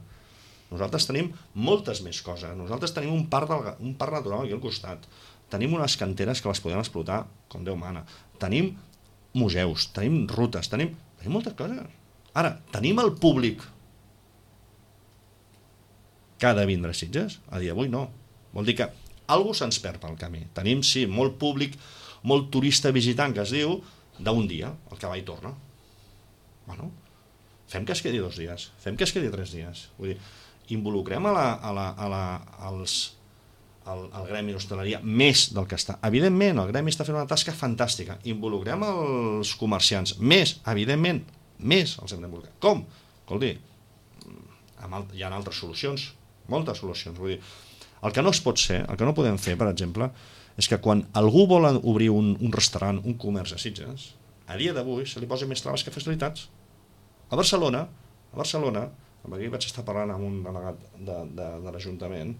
Nosaltres tenim moltes més coses. Nosaltres tenim un parc natural aquí al costat. Tenim unes canteres que les podem explotar com Déu mana. Tenim museus, tenim rutes, tenim moltes coses. Ara, tenim el públic que ha de vindre a Sitges? A dia d'avui no. Vol dir que algú se'ns perd pel camí. Tenim, sí, molt públic, molt turista visitant, que es diu, d'un dia, el que va i torna. Bueno, fem que es quedi 2 dies, fem que es quedi 3 dies. Vull dir, involucrem el gremi d'hostaleria més del que està. Evidentment, el gremi està fent una tasca fantàstica. Involucrem els comerciants més, evidentment, més els hem d'involucrar. Com? Escolti, hi ha altres solucions, moltes solucions. Vull dir, el que no es pot ser, el que no podem fer, per exemple, és que quan algú vol obrir un restaurant, un comerç a Sitges, a dia d'avui se li posen més traves que facilitats. A Barcelona, perquè vaig estar parlant amb un delegat de l'Ajuntament.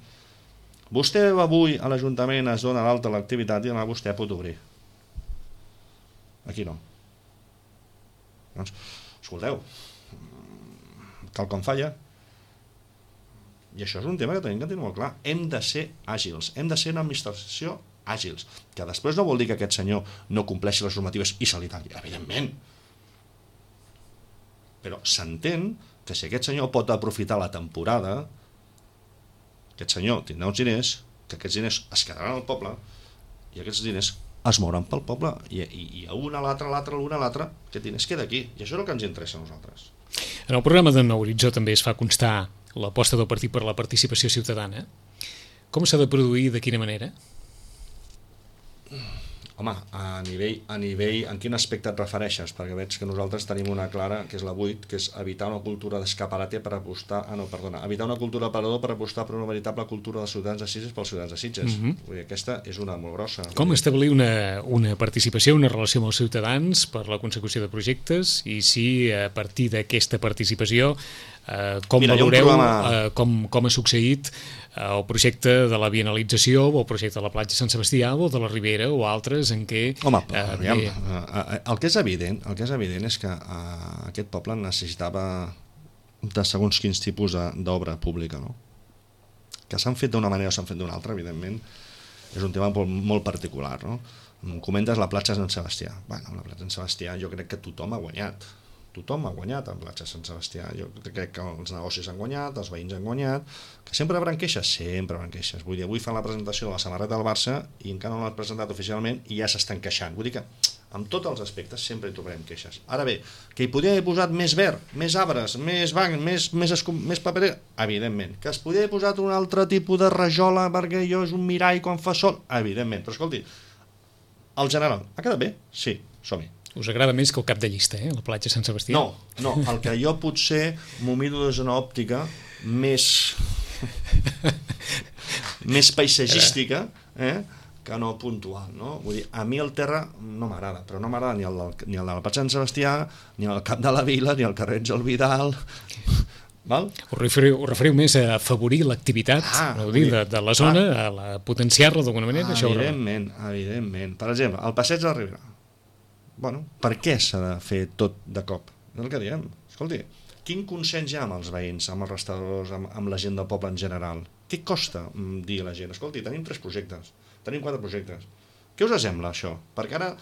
Vostè avui a l'Ajuntament es dona l'alta l'activitat i demà vostè pot obrir. Aquí no. Doncs, escolteu, quelcom falla. I això és un tema que tenim que tenir molt clar. Hem de ser àgils, hem de ser una administració àgils, que després no vol dir que aquest senyor no compleixi les normatives i se li talli, evidentment. Però s'entén que si aquest senyor pot aprofitar la temporada, aquest senyor tindrà uns diners, que aquests diners es quedaran al poble i aquests diners es mouran pel poble i a una, a l'altra, aquest diner es queda aquí, i això és el que ens interessa a nosaltres. En el programa de Nou Horitzó també es fa constar l'aposta del partit per la participació ciutadana. Com s'ha de produir, de quina manera? Home, a nivell, en quin aspecte et refereixes? Perquè veig que nosaltres tenim una clara, que és la 8, que és evitar una cultura d'escaparate per apostar... evitar una cultura d'aparador per apostar per una veritable cultura dels ciutadans de Sitges pels ciutadans de Sitges. Vull dir, aquesta és una molt grossa. Com establir una participació, una relació amb els ciutadans per la consecució de projectes i si a partir d'aquesta participació com valoreu com ha succeït el projecte de la bienalització o el projecte de la platja Sant Sebastià o de la Ribera o altres en què... Home, el que és evident és que aquest poble necessitava de segons quins tipus d'obra pública, no? Que s'han fet d'una manera o s'han fet d'una altra, evidentment, és un tema molt particular, no? Comentes la platja Sant Sebastià. Bueno, la platja Sant Sebastià jo crec que tothom ha guanyat. Tothom ha guanyat en platja Sant Sebastià. Jo crec que els negocis han guanyat, els veïns han guanyat, que sempre hauran queixes, sempre hauran queixes. Vull dir, avui fan la presentació de la samarreta del Barça i encara no l'han presentat oficialment i ja s'estan queixant. Vull dir que en tots els aspectes sempre hi trobarem queixes. Ara bé, que hi podria haver posat més verd, més arbres, més banc, més paper, evidentment. Que es podria haver posat un altre tipus de rajola perquè allò és un mirall quan fa sol, evidentment. Però escolti, el general, ha quedat bé? Sí, som-hi. Us agrada més que el cap de llista, la platja Sant Sebastià? No, el que jo potser m'ho miro des d'una òptica més paisatgística, que no puntual, no? Vull dir, a mi el terra no m'agrada, però no m'agrada ni el de la platja Sant Sebastià, ni el cap de la Vila, ni el carrer Àngel Vidal... Val? Us referiu més a afavorir l'activitat de la zona, a potenciar-la d'alguna manera? Evidentment. Per exemple, el passeig de la Ribera. Bueno, per què s'ha de fer tot de cop? És el que diem. Escolti, quin consens hi ha amb els veïns, amb els restauradors, amb la gent del poble en general? Què costa dir a la gent? Escolti, tenim 3 projectes, tenim 4 projectes. Què us sembla això? Perquè ara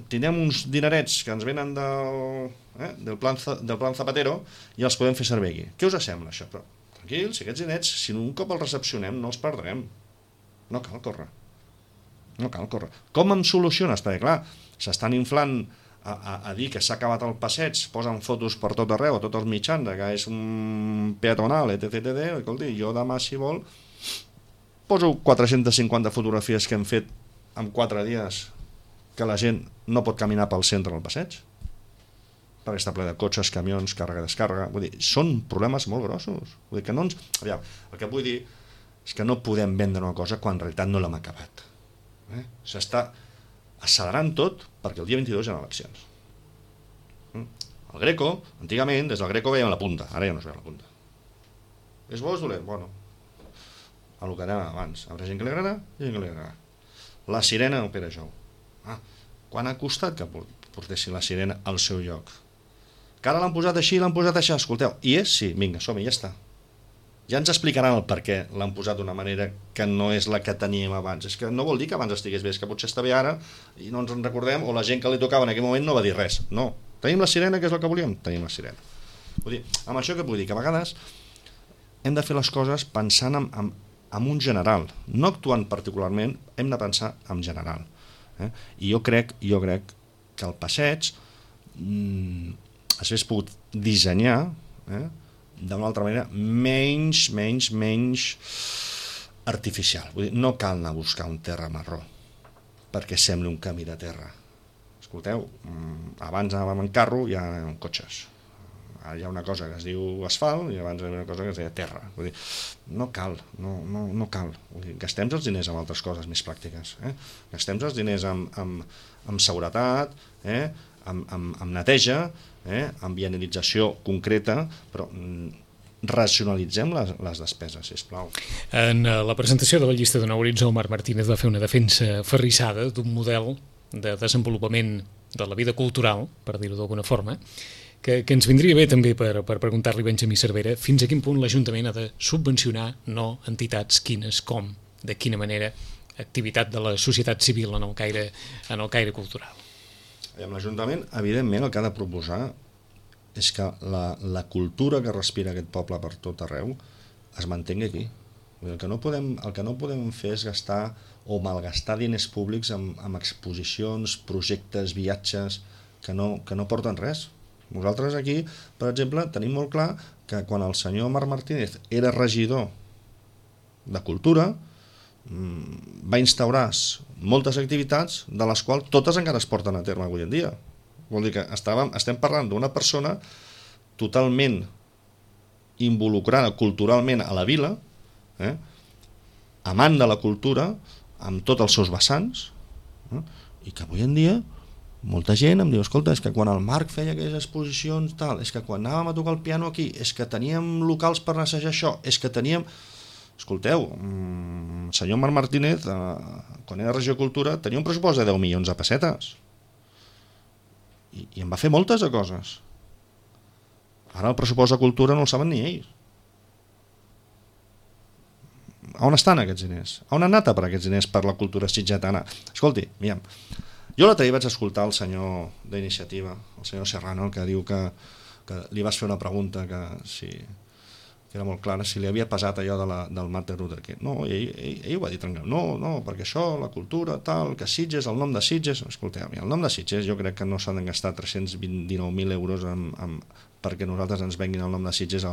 tindrem uns dinerets que ens venen del plan Zapatero i els podem fer servir aquí. Què us sembla això? Però, tranquils, aquests dinerets, si un cop els recepcionem, no els perdrem. No cal córrer. Com em soluciones? Perquè, clar, s'estan inflant a dir que s'ha acabat el passeig, posen fotos per tot arreu, a tots els mitjans, que és un peatonal, etc. Escolti, jo demà, si vol, poso 450 fotografies que hem fet en 4 dies que la gent no pot caminar pel centre del passeig, perquè està ple de cotxes, camions, càrrega, descàrrega. Vull dir, són problemes molt grossos. Vull dir que no ens... Aviam, el que vull dir és que no podem vendre una cosa quan en realitat no l'hem acabat. S'està accelerant tot perquè el dia 22 hi ha eleccions. El Greco, antigament, des del Greco veiem la punta, ara ja no es veu la punta. És bo o és dolent? Bueno, el que anàvem abans. Hi haurà gent que li agrada i gent que li agrada. La sirena al Pere Jou. Quan ha costat que portessin la sirena al seu lloc? Que ara l'han posat així, l'han posat això. Escolteu, i és? Sí, vinga, som-hi, ja està. Ja ens explicaran el per què l'han posat d'una manera que no és la que teníem abans. És que no vol dir que abans estigués bé, és que potser està bé ara i no ens en recordem, o la gent que li tocava en aquell moment no va dir res. No, tenim la sirena, que és el que volíem? Tenim la sirena. Vull dir, amb això què vull dir? Que a vegades hem de fer les coses pensant en un general, no actuant particularment, hem de pensar en general. I jo crec que el passeig s'hagués pogut dissenyar d'una altra manera menys artificial. Vull dir, no cal anar a buscar un terra marró perquè sembli un camí de terra. Escolteu, abans anàvem en carro i ara en cotxes. Ara hi ha una cosa que es diu asfalt i abans hi havia una cosa que es deia terra. Vull dir, no cal. Vull dir, gastem els diners en altres coses més pràctiques. Gastem els diners en seguretat, amb neteja, amb vianalització concreta, però racionalitzem les despeses, sisplau. En la presentació de la llista de Nou Horitzó, Marc Martínez va fer una defensa ferrissada d'un model de desenvolupament de la vida cultural, per dir-ho d'alguna forma, que ens vindria bé també per preguntar-li a Benjamí Cervera fins a quin punt l'Ajuntament ha de subvencionar no entitats, quines, com, de quina manera, activitat de la societat civil en el caire cultural. L'Ajuntament, evidentment, el que ha de proposar és que la cultura que respira aquest poble per tot arreu es mantengui aquí. El que no podem fer és gastar o malgastar diners públics amb exposicions, projectes, viatges que no porten res. Nosaltres aquí, per exemple, tenim molt clar que quan el senyor Marc Martínez era regidor de Cultura va instaurar moltes activitats de les quals totes encara es porten a terme avui en dia. Vol dir que estem parlant d'una persona totalment involucrada culturalment a la vila, amant de la cultura, amb tots els seus vessants, i que avui en dia molta gent em diu, escolta, és que quan el Marc feia aquelles exposicions, tal, és que quan anàvem a tocar el piano aquí, és que teníem locals per assajar això, és que teníem... Escolteu, el senyor Marc Martínez, quan era regidor de Cultura, tenia un pressupost de 10 milions de pessetes. I en va fer moltes de coses. Ara el pressupost de Cultura no el saben ni ells. On estan aquests diners? On han anat a per aquests diners per la cultura sitgetana? Escolti, mira'm, jo l'altre dia vaig escoltar el senyor d'Iniciativa, el senyor Serrano, que diu que li vas fer una pregunta que era molt clara, si li havia pesat allò del Martin Luther King. No, ell ho va dir tranquil. No, perquè això, la cultura, tal, que Sitges, el nom de Sitges... Escolteu, el nom de Sitges jo crec que no s'han de gastar 319.000 euros perquè nosaltres ens venguin el nom de Sitges a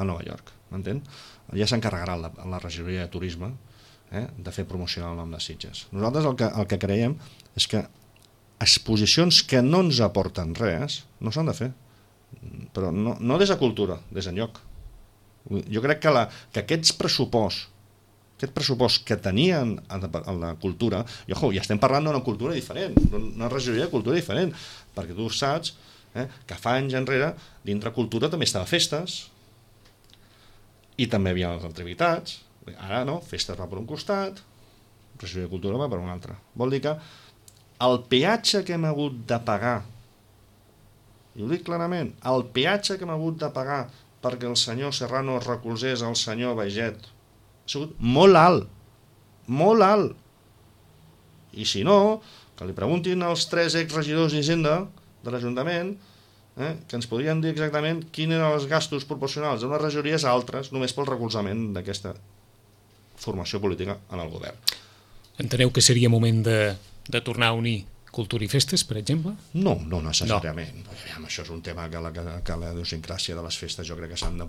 Nova York, m'entén? Ja s'encarregarà la regidoria de turisme de fer promocionar el nom de Sitges. Nosaltres el que creiem és que exposicions que no ens aporten res no s'han de fer, però no des de cultura, des d'enlloc. Jo crec que aquest pressupost que tenien a la cultura, i ja estem parlant d'una cultura diferent, d'una regidoria de cultura diferent, perquè tu saps que fa anys enrere dintre cultura també estava festes i també hi havia les activitats. Ara no, festes va per un costat, regidoria de cultura va per un altre. Vol dir que el peatge que hem hagut de pagar, i ho dic clarament, el peatge que hem hagut de pagar perquè el senyor Serrano recolzés el senyor Baiget ha sigut molt alt, molt alt. I si no, que li preguntin als 3 exregidors d'Hisenda de l'Ajuntament que ens podrien dir exactament quins eren els gastos proporcionals d'unes regidories a altres només pel recolzament d'aquesta formació política en el govern. Enteneu que seria moment de tornar a unir cultura i festes, per exemple? No necessàriament. No. Això és un tema que la idiosincràsia de les festes jo crec que s'han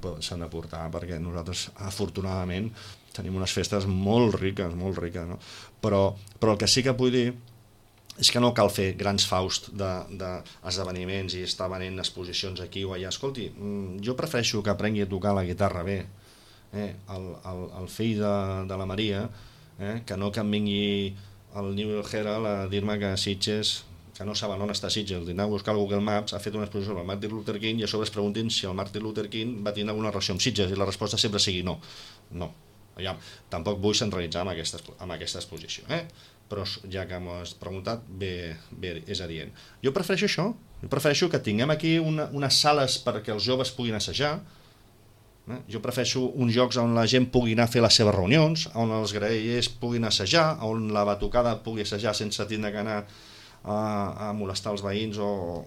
de portar, perquè nosaltres, afortunadament, tenim unes festes molt riques, no? Però el que sí que vull dir és que no cal fer grans faust d'esdeveniments i estar venent exposicions aquí o allà. Escolti, jo prefereixo que aprengui a tocar la guitarra bé, el fill de la Maria, que no que em vingui el New Herald a dir-me que Sitges, que no saben on està Sitges, d'anar a buscar al Google Maps, ha fet una exposició sobre el Martin Luther King i a sobre es preguntin si el Martin Luther King va tenir alguna relació amb Sitges i la resposta sempre sigui no. Tampoc vull centralitzar amb aquesta exposició, però ja que m'ho has preguntat, bé és adient. Jo prefereixo això, prefereixo que tinguem aquí unes sales perquè els joves puguin assajar. Jo prefereixo uns llocs on la gent pugui anar a fer les seves reunions, on els graellers puguin assajar, on la batucada pugui assajar sense tindre que anar a molestar els veïns o...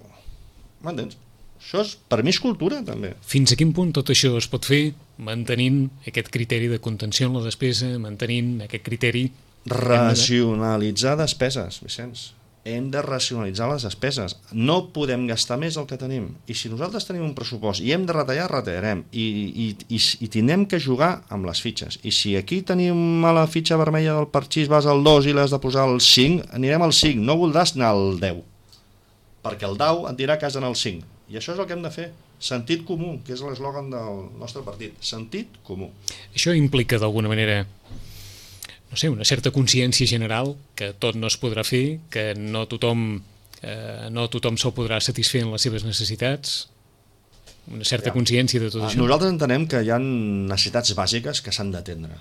M'entens? Això per mi és cultura, també. Fins a quin punt tot això es pot fer mantenint aquest criteri de contenció en la despesa, mantenint aquest criteri... Racionalitzar despeses, Vicenç. Hem de racionalitzar les despeses. No podem gastar més del que tenim. I si nosaltres tenim un pressupost i hem de retallar, retallarem. I tindrem que jugar amb les fitxes. I si aquí tenim a la fitxa vermella del parxís vas al 2 i l'has de posar al 5, anirem al 5. No voldràs anar al 10. Perquè el 10 et dirà que has d'anar al 5. I això és el que hem de fer. Sentit comú, que és l'eslògan del nostre partit. Sentit comú. Això implica d'alguna manera... no sé, una certa consciència general que tot no es podrà fer, que no tothom se'l podrà satisfer en les seves necessitats? una certa consciència de tot això. Nosaltres entenem que hi ha necessitats bàsiques que s'han d'atendre.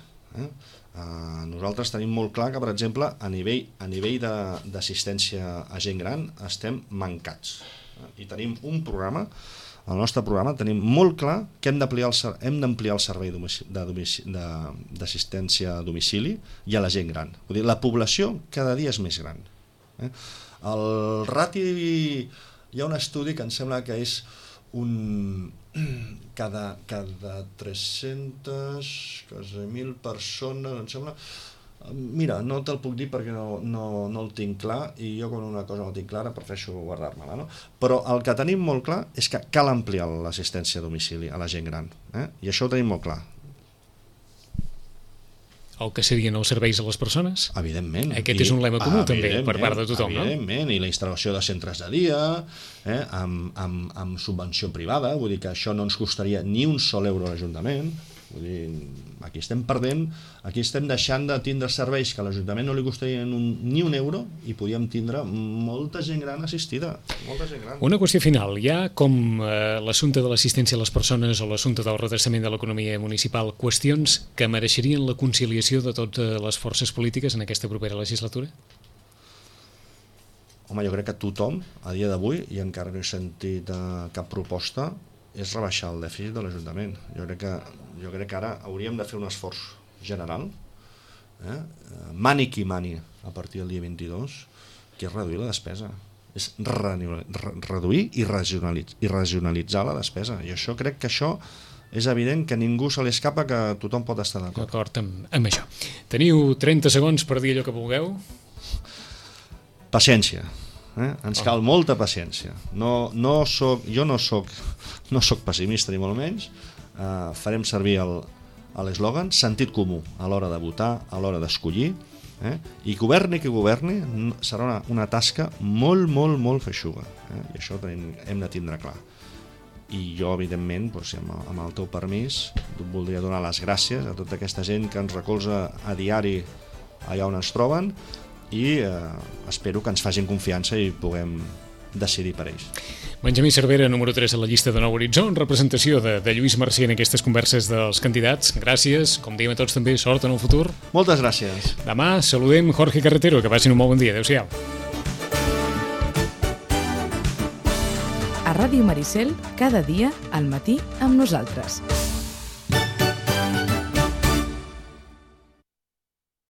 Nosaltres tenim molt clar que, per exemple, a nivell d'assistència a gent gran estem mancats. I tenim un programa, al nostre programa tenim molt clar que hem d'ampliar el servei d'assistència a domicili i a la gent gran. Vull dir, la població cada dia és més gran. El rati, hi ha un estudi que em sembla que és cada 300.000 persones, em sembla. Mira, no te'l puc dir perquè no el tinc clar, i jo quan una cosa no la tinc clara prefereixo guardar-me-la, no? Però el que tenim molt clar és que cal ampliar l'assistència a domicili a la gent gran, i això ho tenim molt clar. El que serien els serveis a les persones? Evidentment. Aquest és un lema comú també per part de tothom, no? Evidentment, i la instal·lació de centres de dia, amb subvenció privada, vull dir que això no ens costaria ni un sol euro a l'Ajuntament. Vull dir, aquí estem perdent, aquí estem deixant de tindre serveis que a l'Ajuntament no li costarien ni un euro i podíem tindre molta gent gran assistida, molta gent gran. Una qüestió final, hi ha com l'assumpte de l'assistència a les persones o l'assumpte del redreçament de l'economia municipal, qüestions que mereixerien la conciliació de totes les forces polítiques en aquesta propera legislatura? Home, jo crec que tothom, a dia d'avui, i encara no he sentit cap proposta, és rebaixar el dèficit de l'Ajuntament. Jo crec que ara hauríem de fer un esforç general, mani qui mani, a partir del dia 22, que és reduir la despesa. És reduir i regionalitzar la despesa. I això crec que això és evident que ningú se li escapa, que tothom pot estar d'acord. D'acord amb això. Teniu 30 segons per dir allò que vulgueu. Paciència. Ens cal molta paciència. Jo no soc pessimista ni molt menys. Farem servir l'eslògan sentit comú a l'hora de votar, a l'hora d'escollir, i governi qui governi serà una tasca molt, molt, molt feixuga, i això hem de tindre clar. I jo, evidentment, amb el teu permís, voldria donar les gràcies a tota aquesta gent que ens recolza a diari allà on ens troben, i espero que ens facin confiança i puguem decidir per ells. Benjamí Cervera, número 3 a la llista de Nou Horitzó, en representació de Lluís Marcí en aquestes converses dels candidats. Gràcies, com diem a tots també, sort en el futur. Moltes gràcies. Demà saludem Jorge Carretero, que passin un molt bon dia. Adéu-siau. A Ràdio Maricel, cada dia al matí amb nosaltres.